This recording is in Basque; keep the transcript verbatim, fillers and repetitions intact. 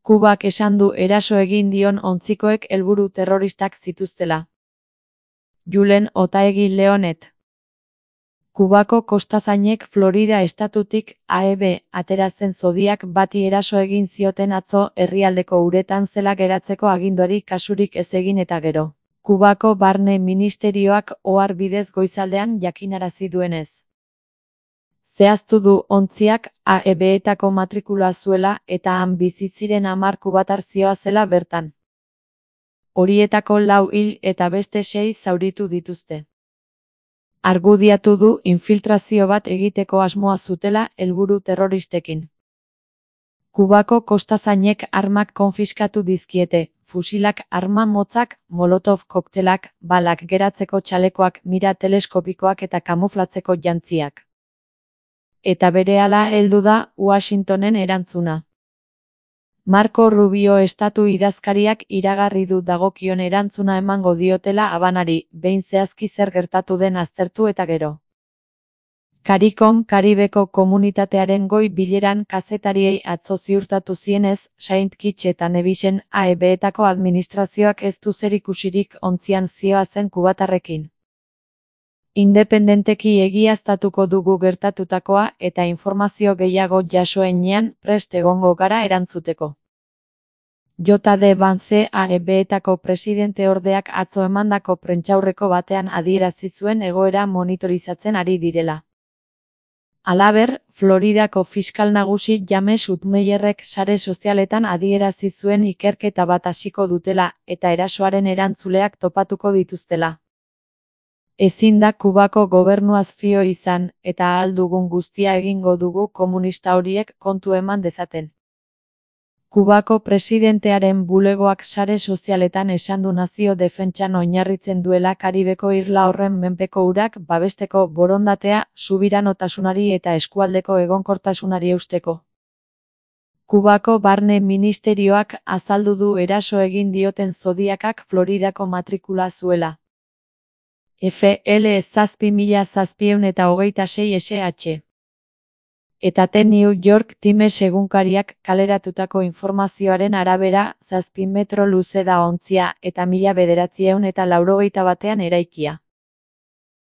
Kubak esan du eraso egin dion ontzikoek helburu terroristak zituztela. Julen Otaegi Leonet. Kubako kostazainek Florida estatutik A E B ateratzen zodiak bati eraso egin zioten atzo herrialdeko uretan zela geratzeko aginduari kasurik ez egin eta gero. Kubako barne ministerioak ohar bidez goizaldean jakinarazi duenez. Zehaztu du ontziak A E B-etako matrikula zuela eta han bizi ziren hamar kubatar zihoazela bertan. Horietako lau hil eta beste sei zauritu dituzte. Argudiatu du infiltrazio bat egiteko asmoa zutela helburu terroristekin. Kubako kostazainek armak konfiskatu dizkiete, fusilak, arma motzak, molotov koktelak, balak geratzeko txalekoak, mira teleskopikoak eta kamuflatzeko jantziak. Eta berehala heldu da Washingtonen erantzuna. Marco Rubio estatu idazkariak iragarri du dagokion erantzuna emango diotela Habanari, behin zehazki zer gertatu den aztertu eta gero. CARICOM Karibeko komunitatearen goi bileran kazetariei atzo ziurtatu zienez, Saint Kitts eta Nevisen A E B-etako administrazioak ez du zerikusirik ontzian zihoazen kubatarrekin. Independenteki egiaztatuko dugu gertatutakoa eta informazio gehiago jasoenean prest egongo gara erantzuteko. J D Vance A E B-etako presidenteordeak atzo emandako prentsaurreko batean adierazi zuen egoera monitorizatzen ari direla. Halaber, Floridako fiskal nagusi James Utmeyerrek sare sozialetan adierazi zuen ikerketa bat hasiko dutela eta erasoaren erantzuleak topatuko dituztela. Ezin da Kubako gobernuaz fio izan, eta ahal dugun guztia egingo dugu komunista horiek kontu eman dezaten. Kubako presidentearen bulegoak sare sozialetan esan du nazio defentsan oinarritzen duela Karibeko irla horren menpeko urak babesteko borondatea, subiranotasunari eta eskualdeko egonkortasunari eusteko. Kubako barne ministerioak azaldu du eraso egin dioten zodiakak Floridako matrikula zuela. F L zazpi mila zazpiehun eta hogeita sei S H. Eta The New York Times egunkariak kaleratutako informazioaren arabera zazpi metro luze da ontzia eta mila bederatziehun eta laurogeita batean eraikia.